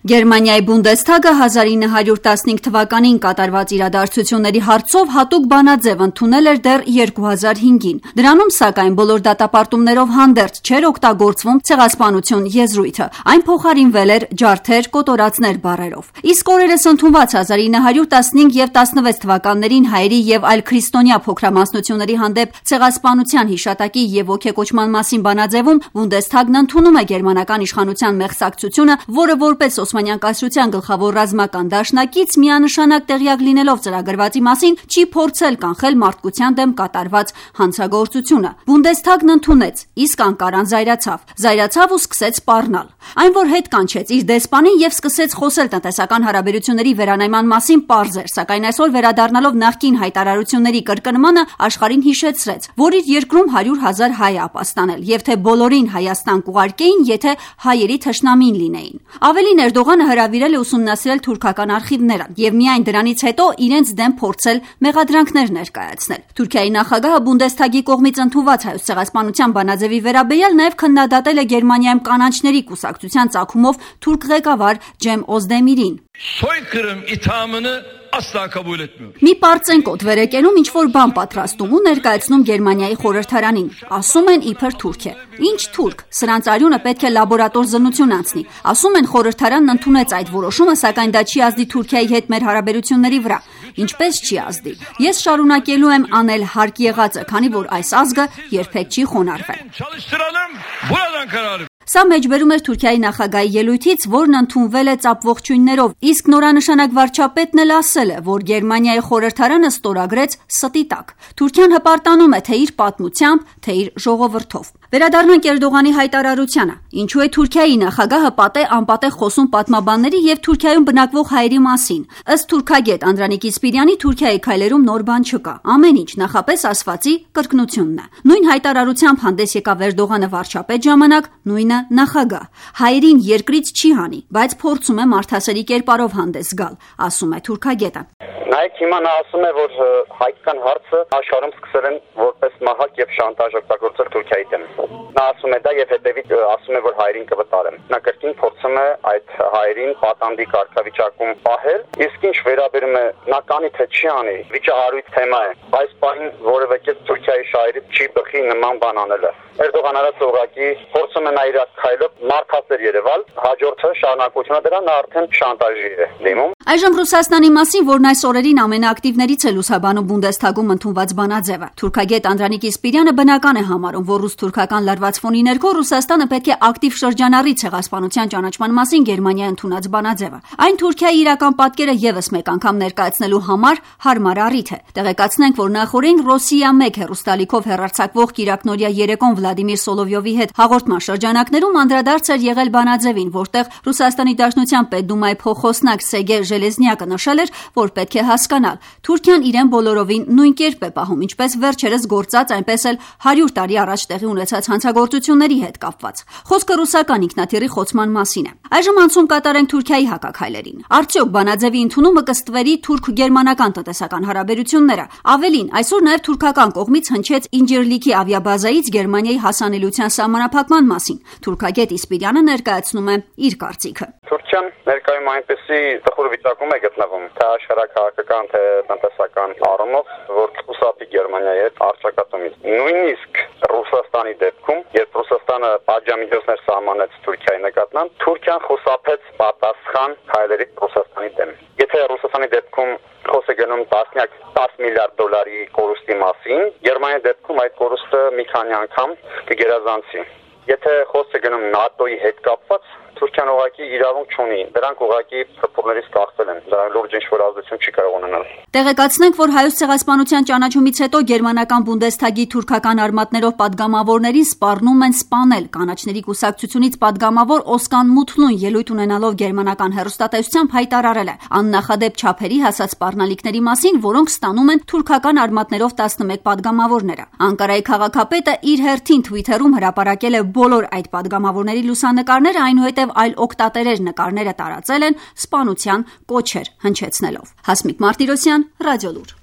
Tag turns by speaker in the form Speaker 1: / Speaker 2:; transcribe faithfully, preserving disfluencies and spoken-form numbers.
Speaker 1: Գերմանիայի Բունդեսթագը հազար ինը հարյուր տասնհինգ թվականին կատարված իրադարձությունների հարցով հատուկ բանաձև ընդունել էր դեռ երկու հազար հինգին։ Դրանում, սակայն, բոլոր դատապարտումներով հանդերձ չէր օգտագործվում ցեղասպանություն եզրույթը։ Այն փոխարինվել էր ջարդեր, կոտորածներ բառերով։ Իսկ օրերս ընդունված հազար ինը հարյուր տասնհինգ և տասնվեց թվականներին հայերի և այլ քրիստոնյա փոքրամասնությունների հանդեպ ցեղասպանության հիշատակի և ոգեկոչման մասին բանաձևում Բունդեսթագն ընդունում է գերմանական իշխանության մեղսակցությունը, որը որպես Օսմանյան կայսրության գլխավոր ռազմական դաշնակից միանշանակ տեղյակ լինելով ծրագրվածի մասին չի փորձել կանխել մարդկության դեմ կատարված հանցագործությունը։ Բունդեսթագն ընդունեց, իսկ Անկարան զայրացավ։ Զայրացավ ու սկսեց սպառնալ։ Այն, որ հետ կանչեց իր դեսպանին և սկսեց խոսել տնտեսական հարաբերությունների վերանայման մասին, պարզ էր, սակայն այսօր վերադառնալով նախկին հայտարարությունների կրկնմանը աշխարհին հիշեցրեց, որ իր երկրում հարյուր հազար հայ է ապաստանել, և թե բոլորին Հայաստան կուղարկեին, եթե հայերի թշնամին լինեին։ Ավելին, Էրդողանը հրավիրել է ուսումնասիրել թուրքական արխիվները և միայն դրանից հետո իրենց դեմ փորձել մեղադրանքներ ներկայացնել։ Թուրքիայի նախագահը Բունդեսթագի կողմից ընդունված հայոց ցեղասպանության բանաձևի վերաբերյալ նաև քննադատել է Գերմանիայում կանաչների կուսակցության ծագումով թուրք ղեկավար Ջեմ Օզդեմիրին։
Speaker 2: Soykırım ithamını asla kabul etmiyor.
Speaker 1: Մի պարծենկոտ վեր է կենում ինչ-որ բան պատրաստում ու ներկայացնում Գերմանիայի խորհրդարանին։ Ասում են իբր թուրք է։ Ինչ թուրք։ Սրանց արյունը պետք է լաբորատոր զննություն անցնի։ Ասում են խորհրդարանն ընդունեց այդ որոշումը, սակայն դա չի ազդի Թուրքիայի հետ մեր հարաբերությունների վրա։ Ինչպես չի ազդի։ Ես շարունակելու եմ անել հարկ եղածը, քանի որ այս ազգը երբեք չի խոնարհվել։
Speaker 2: Çalıştıralım. Buradan kararı.
Speaker 1: Սա մեջբերում էր Թուրքիայի նախագահի ելույթից, որն ընդունվել է ծափողջույններով, իսկ նորանշանակ վարչապետն էլ ասել է, որ Գերմանիայի խորհրդարանը ստորագրեց ստի տակ։ Թուրքիան հպարտանում է թե իր պատմությամբ, թե իր ժողովրդով։ Վերադառնանք Էրդողանի հայտարարությանը։ Ինչու է Թուրքիայի նախագահը պատե-անպատե խոսում պատմաբանների և Թուրքիայում բնակվող հայերի մասին։ Ըստ թուրքագետ Անդրանիկ Իսպիրյանի, Թուրքիայի քայլերում նոր բան չկա։ Ամեն ինչ նախապես ասվածի կրկնությունն է։ Նույն հայտարարությամբ հանդես եկավ Էրդողանը վարչապետ ժամանակ, նույնը նախագահ։ Հայերին երկրից չի հանի, բայց փորձում է մարդասերի կերպարով հանդես գալ, ասում է թուրքագետը։
Speaker 3: Նայեք, հիմա նա ասում է, որ հայկական հարցը աշխարհում սկսել են որպես մահակ եւ շանտաժ օգտագործել Թուրքիայի դեմ։ Նա ասում է դա եւ հետեւից ասում է, որ հայերին կվտարեն։ Նա կրկին փորձում է այդ հայերին պատանդի կարգավիճակում պահել, իսկ ինչ վերաբերում է նա կանի թե չի անի, վիճահարույց թեմա է։ Այս պահին որևէ կերպ Թուրքիայի շահերից չի բխի նման բան անելը։ Էրդողան արած ուղղակի փորձում է նա իր քայլով մարդասեր երևալ, հաջորդը շարունակությունը դրա նա արդեն շանտաժի է դիմում։
Speaker 1: Այժմ Ռուսաստանի մասին, որն այս օրերին ամենաակտիվներից է լուսաբանում Բունդեսթագում ընդունված բանաձևը։ Թուրքագետ Անդրանիկ Իսպիրյանը բնական է համարում, որ ռուս-թուրքական լարված ֆոնի ներքո Ռուսաստանը պետք է ակտիվ շրջանառի ցեղասպանության ճանաչման մասին Գերմանիայի ընդունած բանաձևը։ Այն Թուրքիայի իրական պատկերը եւս մեկ անգամ ներկայացնելու համար հարմար առիթ է։ Տեղեկացնենք, որ նախորդին Ռոսիա մեկ հեռուստալիքով հեռարձակվող կիրակնօրյա երեկոն Վլադիմիր Սոլովյովի հետ հաղորդման շրջանակներում անդրադարձ էր եղել բանաձևին, որտեղ Ռուսաստանի Դաշնության պետդումայի փոխոսնակ Սերգեյ Ժելեզնյակը նշել էր, որ պետք է հասկանալ, Թուրքիան իրեն բոլորովին նույն կերպ է պահում, ինչպես վերջերս գործած, այնպես էլ հարյուր տարի առաջ տեղի ունեցած հանցագործությունների հետ կապված։ Խոսքը ռուսական ինքնաթիռի խոցման մասին է։ Այժմ անցում կատարենք Թուրքիայի հակաքայլերին։ Արդյոք բանաձևի ընդունումը կստվերի թուրք-գերմանական տնտեսական հարաբերությունները։ Ավելին, այսօր նաև թուրքական կողմից հնչեց Ինջիրլիքի ավիաբազայից Գերմանիայի հասանելիության սահմանափակման մասին։ Թուրքագետ Իսպիրյանը ներկայացնում է իր կարծիքը։
Speaker 3: Թուրքիան ներկայում այնպեսի տխուր վիճակում է գտնվում, թե աշխարհակահաղական, թե տնտեսական առումով, որ խուսափի Գերմանիայի հետ առճակատումից։ Նույնիսկ Ռուսաստանի դեպքում, երբ Ռուսաստանը պատժամիջոցներ սահմանեց Թուրքիայի նկատմամբ, Թուրքիան խուսափեց պատասխան քայլերի Ռուսաստանի դեմ։ Եթե Ռուսաստանի դեպքում խոսքը գնում տասնյակ տասը միլիարդ դոլարի կորուստի մասին, Գերմանիայի դեպքում այդ կորուստը մի քանի անգամ կգերազանցի։ Եթե խոսքը գնում ՆԱՏՕ-ի հետ կապված, Թուրքիան ուղղակի իրավունք չունի, դրանք ուղղակի փոփորներից կախվել են, դրանք լուրջ ինչ-որ ազդեցություն չի կարող ունենալ։
Speaker 1: Տեղեկացնենք, որ հայոց ցեղասպանության ճանաչումից հետո գերմանական Բունդեսթագի թուրքական արմատներով պատգամավորներին սպառնում են սպանել։ Կանաչների կուսակցությունից պատգամավոր Օսկան Մութլուն ելույթ ունենալով գերմանական հեռուստատեսությամբ հայտարարել է աննախադեպ չափերի հասած սպառնալիքների մասին, որոնք ստանում են թուրքական արմատներով տասնմեկ պատգամավորները։ Անկարայի քաղաքապետը իր հերթին Twitter-ում հրապարակել է բոլոր այդ պատգամավորների լուսանկարները, այնուհետև այլ օգտատերեր նկարները տարածել են սպանության կոչեր հնչեցնելով։ Հասմիկ Մարտիրոսյան, Ռադիոլուր։